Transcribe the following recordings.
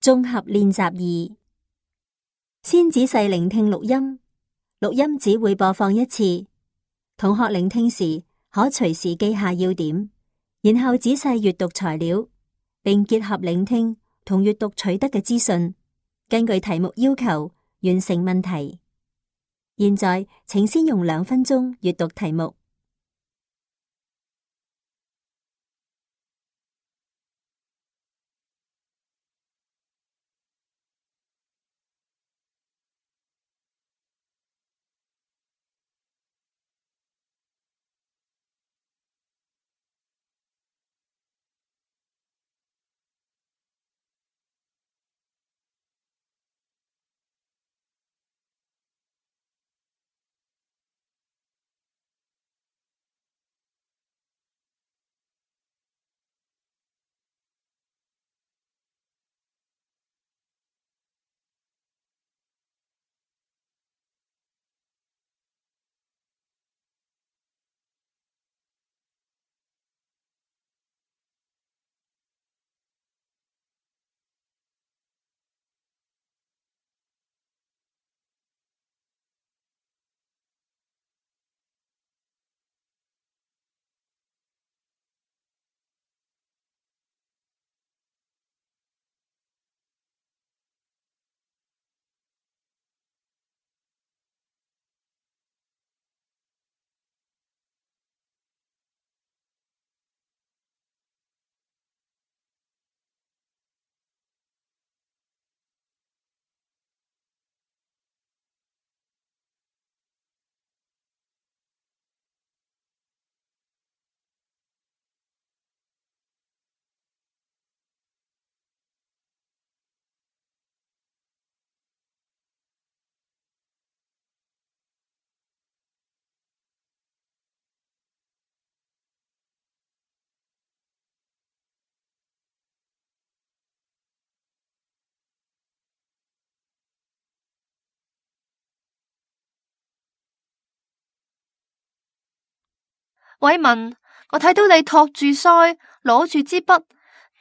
綜合練習2，先仔細聆聽錄音，錄音只會播放一次。同學聆聽時可隨時記下要點，然後仔細閱讀材料，並結合聆聽同閱讀取得嘅資訊，根據題目要求完成問題。現在請先用2分鐘閱讀題目。偉文，我睇到你托住腮，攞住支筆，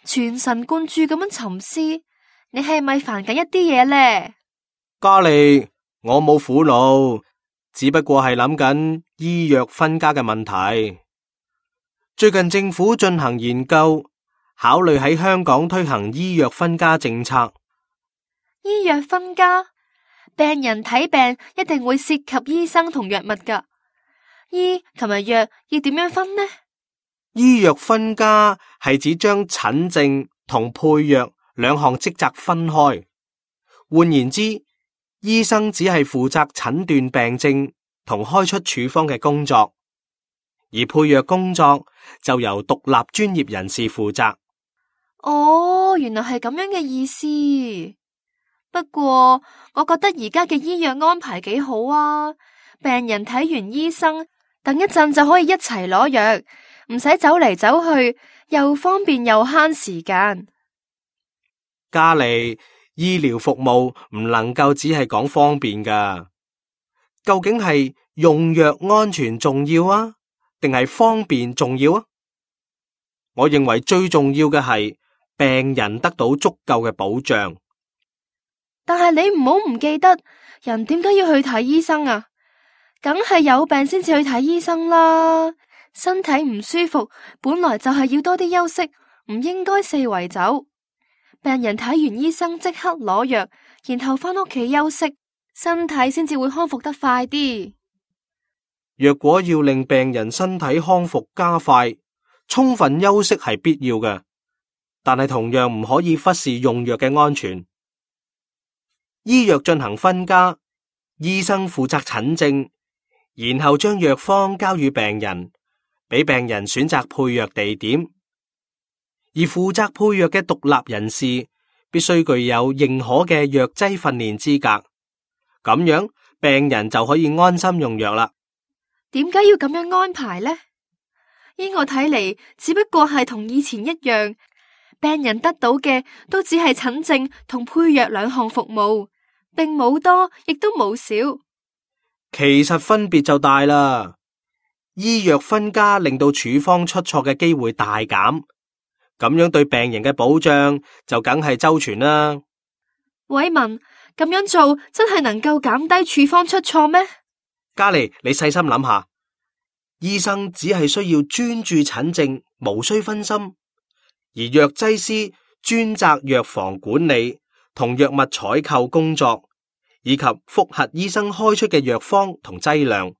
全神貫注咁樣沉思，你係咪煩緊一啲嘢呢？嘉莉，我冇苦惱，只不過係諗緊醫藥分家嘅問題。最近政府進行研究，考慮喺香港推行醫藥分家政策。醫藥分家，病人睇病一定會涉及醫生同藥物㗎。醫同埋藥要點樣分呢？醫藥分家係指將診症同配藥2項職責分開。換言之，醫生只係負責診斷病症同開出處方嘅工作，而配藥工作就由獨立專業人士負責。哦，原來係咁樣嘅意思。不過我覺得而家嘅醫藥安排幾好啊，病人睇完醫生，等一陣就可以一齊攞藥，唔使走嚟走去，又方便又慳時間。嘉莉，醫療服務唔能夠只係講方便㗎，究竟係用藥安全重要啊，定係方便重要啊？我認為最重要嘅係病人得到足夠嘅保障。但係你唔好唔記得，人點解要去睇醫生啊？梗係有病先至去睇醫生啦，身體唔舒服，本來就係要多啲休息，唔應該四圍走。病人睇完醫生即刻攞藥，然後返屋企休息，身體先至會康復得快啲。若果要令病人身體康復加快，充分休息係必要嘅，但係同樣唔可以忽視用藥嘅安全。醫藥進行分家，醫生負責診症，然後將藥方交予病人，俾病人選擇配藥地點。而負責配藥嘅獨立人士必須具有認可嘅藥劑訓練資格，咁樣病人就可以安心用藥啦。點解要咁樣安排呢？依我睇嚟，只不過係同以前一樣，病人得到嘅都只係診症同配藥2項服務，並冇多，亦都冇少。其實分別就大啦。醫藥分家令到處方出錯嘅機會大減，咁樣對病人嘅保障就梗係周全啦。偉文，咁樣做真係能夠減低處方出錯咩？嘉莉，你細心諗下，醫生只係需要專注診症，無需分心，而藥劑師專責藥房管理同藥物採購工作，以及複核醫生開出嘅藥方同劑量。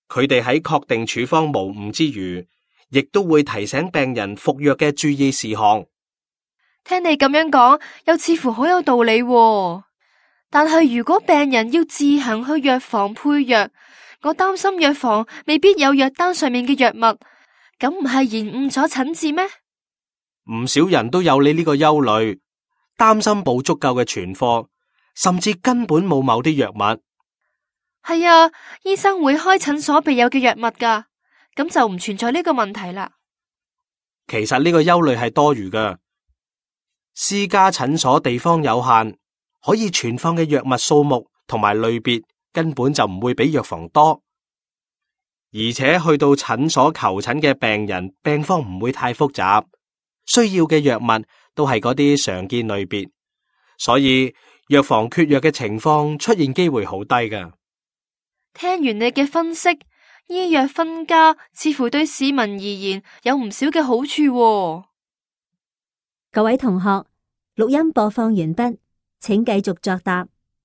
佢哋喺確定處方無誤之餘，亦都會提醒病人服藥嘅注意事項。聽你咁樣講，又似乎好有道理喎。但係如果病人要自行去藥房配藥，我擔心藥房未必有藥單上面嘅藥物，咁唔係延誤咗診治咩？唔少人都有你呢個憂慮，擔心冇足夠嘅存貨，甚至根本冇某啲藥物。係啊，醫生會開診所備有嘅藥物㗎，咁就唔存在呢個問題啦。其實呢個憂慮係多餘㗎，私家診所地方有限，可以存放嘅藥物數目同埋類別根本就唔會比藥房多，而且去到診所求診嘅病人病況唔會太複雜，需要嘅藥物都係嗰啲常見類別，所以藥房缺藥嘅情況出現機會好低㗎。聽完你嘅分析，醫藥分家似乎對市民而言有唔少嘅好處喎。各位同學，錄音播放完畢，請繼續作答。